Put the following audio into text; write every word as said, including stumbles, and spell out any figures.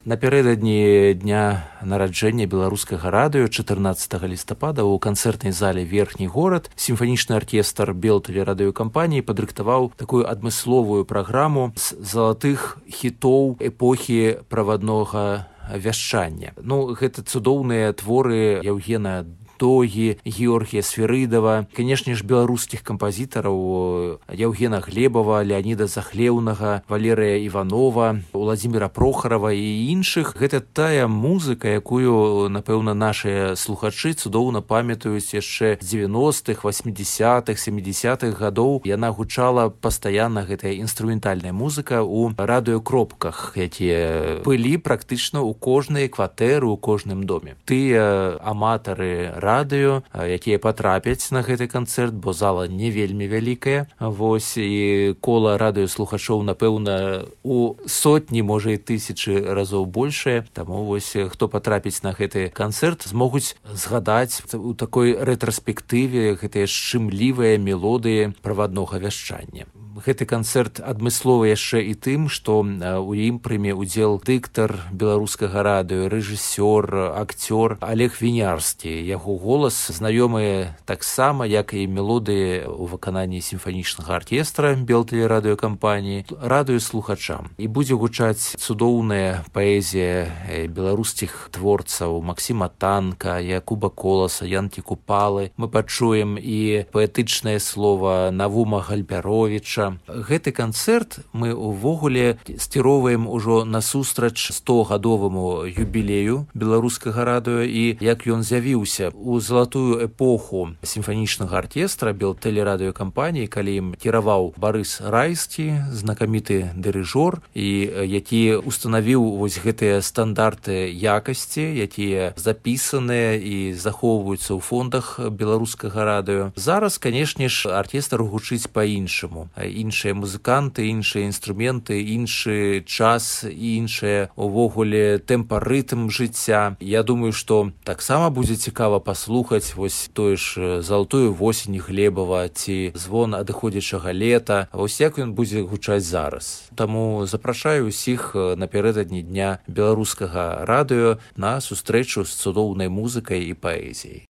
Напярэдадні дня нараджэння беларускага радыё чатырнаццатага лістапада ў канцэртнай зале верхні горад сімфанічны аркестр белтэлерадыёкампаніі падрыхтаваў такую адмысловую праграму з залатых хітоў эпохі праваднога вяшчання. Ну, гэта цудоўныя творы Яўгена Догі, Георгія Сферыдава, канешне ж, беларускіх кампазітараў Яўгена Глебава, Леаніда Захлеўнага, Валерыя Іванова, Уладзіміра Прохарава і іншых. Гэта тая музыка, якую, напэўна, нашыя слухачы цудоўна памятаюць яшчэ з дзевяностых, васьмідзясятых, сямідзясятых гадоў. Яна гучала пастаянна, гэтая інструментальная музыка, у радыёкропках, якія былі практычна ў кожнай кватэры, у кожным доме. Тыя аматары радыё, якія патрапяць на гэты канцэрт, бо зала не вельмі вялікая. Вось, і кола радыёслухачоў, напэўна, у сотні, можа, і тысячы разоў большае. Таму вось, хто патрапіць на гэты канцэрт, змогуць згадаць у такой рэтраспектыве гэтыя шчымлівыя мелодыі праваднога вяшчання. Гэты канцэрт адмысловы яшчэ і тым, што ў ім прыме ўдзел дыктар беларускага радыё, рэжысёр, акцёр Олег Вінярскі. Яго голас знаёмы таксама, як і мелодыі ў выкананні сімфанічнага аркестра белтэлерадыёкампаніі, радыё слухачам. І будзе гучаць цудоўная паэзія беларускіх творцаў Максіма Танка, Якуба Коласа, Янкі Купалы. Мы пачуем і паэтычнае слова Навума Гальбяровіча. Гэты канцэрт мы ўвогуле скіроўваем ужо насустрач стогадоваму юбілею беларускага радыё, і як ён з'явіўся у залатую эпоху сімфанічнага аркестра белтэлерадыёкампаніі, калі ім кіраваў Барыс Райскі, знакаміты дырыжор, і які устанавіў вось гэтыя стандарты якасці, якія запісаныя і захоўваюцца ў фондах беларускага радыё. Зараз, канешне ж, аркестр гучыць па-іншаму. Іншыя музыканты, іншыя інструменты, іншы час, іншыя увогуле тэмпа-рытм жыцця. Я думаю, што таксама будзе цікава паслухаць вось тое ж залатую восень Глебава ці звон адыходзячага лета. Вось як ён будзе гучаць зараз. Таму запрашаю ўсіх напярэдадні дня беларускага радыё на сустрэчу з цудоўнай музыкай і паэзіяй.